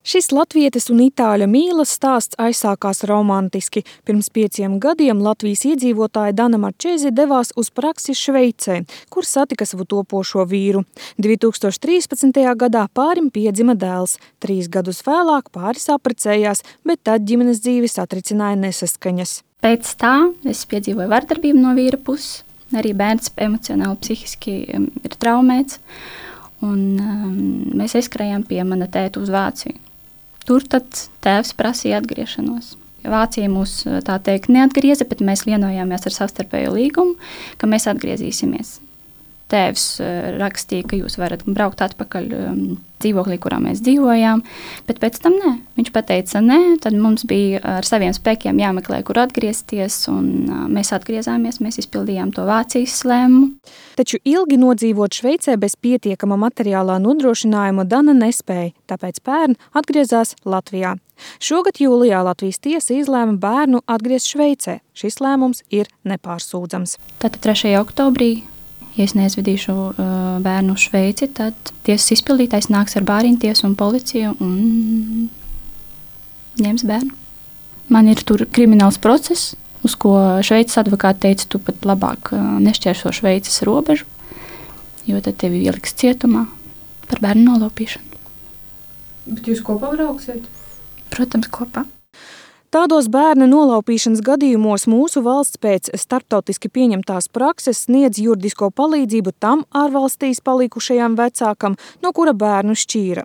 Šis latvietes un itāļa mīlas stāsts aizsākās romantiski. Pirms 5 gadiem Latvijas iedzīvotāja Dana Marčēzi devās uz praksi Šveicē, kur satika savu topošo vīru. 2013. gadā pārim piedzima dēls. 3 gadus vēlāk pāris apprecējās, bet tad ģimenes dzīvi satricināja nesaskaņas. Pēc tā es piedzīvoju vardarbību no vīra puses. Arī bērns emocionāli, psihiski ir traumēts. Un mēs aizskrējām pie mana tēta uz Vāciju. Tur tad tēvs prasīja atgriešanos. Vācija mūs tā teikt neatgrieza, bet mēs vienojāmies ar savstarpējo līgumu, ka mēs atgriezīsimies. Tēvs rakstīja, ka jūs varat braukt atpakaļ dzīvoklī, kurā mēs dzīvojām, bet pēc tam nē. Viņš pateica nē, tad mums bija ar saviem spēkiem jāmeklē, kur atgriezties, un mēs atgriezāmies, mēs izpildījām to Vācijas lēmumu. Taču ilgi nodzīvot Šveicē bez pietiekama materiālā nodrošinājuma Dana nespēja, tāpēc pērn atgriezās Latvijā. Šogad jūlijā Latvijas tiesa izlēma bērnu atgriezt Šveicē. Šis lēmums ir nepārsūdzams. Tātad 3. oktobrī, ja es neaizvedīšu bērnu uz Šveici, tad tiesas izpildītājs nāks ar bāriņtiesu un policiju un ņems bērnu. Man ir tur krimināls process, uz ko Šveices advokāti teica, tu pat labāk nešķērso Šveices robežu, jo tad tevi ieliks cietumā par bērnu nolaupīšanu. Bet jūs kopā brauksiet? Protams, kopā. Tādos bērna nolaupīšanas gadījumos mūsu valsts pēc starptautiski pieņemtās prakses sniedz juridisko palīdzību tam ārvalstīs palikušajam vecākam, no kura bērnu šķīra.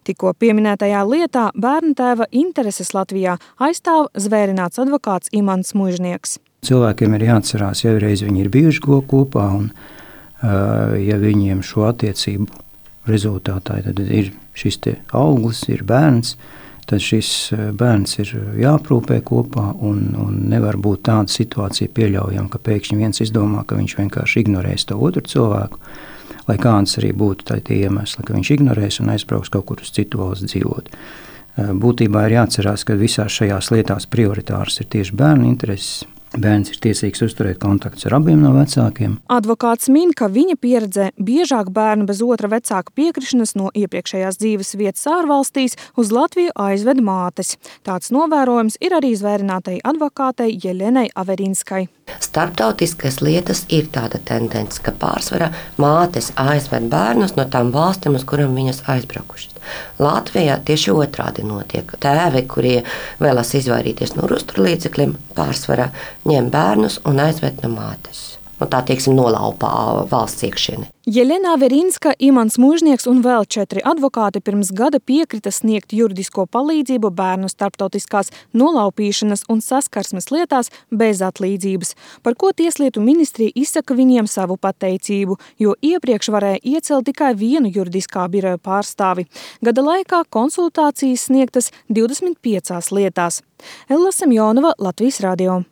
Tikko pieminētajā lietā bērna tēva intereses Latvijā aizstāv zvērināts advokāts Imants Muižnieks. Cilvēkiem ir jāatcerās, ja reiz viņi ir bijuši kopā un ja viņiem šo attiecību rezultātā tad ir šis te auglis, ir bērns, tad šis bērns ir jāprūpē kopā un nevar būt tāda situācija pieļaujama, ka pēkšņi viens izdomā, ka viņš vienkārši ignorēs to otru cilvēku, lai kāds arī būtu tie iemesli, ka viņš ignorēs un aizbrauks kaut kur uz citu valsts dzīvot. Būtībā ir jāatcerās, ka visās šajās lietās prioritārs ir tieši bērnu intereses. Bērns ir tiesīgs uzturēt kontaktus ar abiem no vecākiem. Advokāts min, ka viņa pieredzē biežāk bērnu bez otra vecāka piekrišanas no iepriekšējās dzīves vietas ārvalstīs uz Latviju aizved mātes. Tāds novērojums ir arī zvērinātai advokātei Jelenai Averinskai. Starptautiskas lietas ir tāda tendence, ka pārsvarā mātes aizved bērnus no tām valstīm, uz kurām viņas aizbraukušas. Latvijā tieši otrādi notiek. Tēvi, kurie vēlas izvairīties no uzturlīdzekļiem, pārsvarā ņem bērnus un aizved no mātes. Un tā, teiksim, nolaupā valsts iekšieni. Jelena Averinska, Imants Muižnieks un vēl 4 advokāti pirms gada piekrita sniegt juridisko palīdzību bērnu starptautiskās nolaupīšanas un saskarsmes lietās bez atlīdzības, par ko Tieslietu ministrija izsaka viņiem savu pateicību, jo iepriekš varēja iecelt tikai vienu juridiskā biroja pārstāvi. Gada laikā konsultācijas sniegtas 25 lietās. Ella Semjonova, Latvijas radio.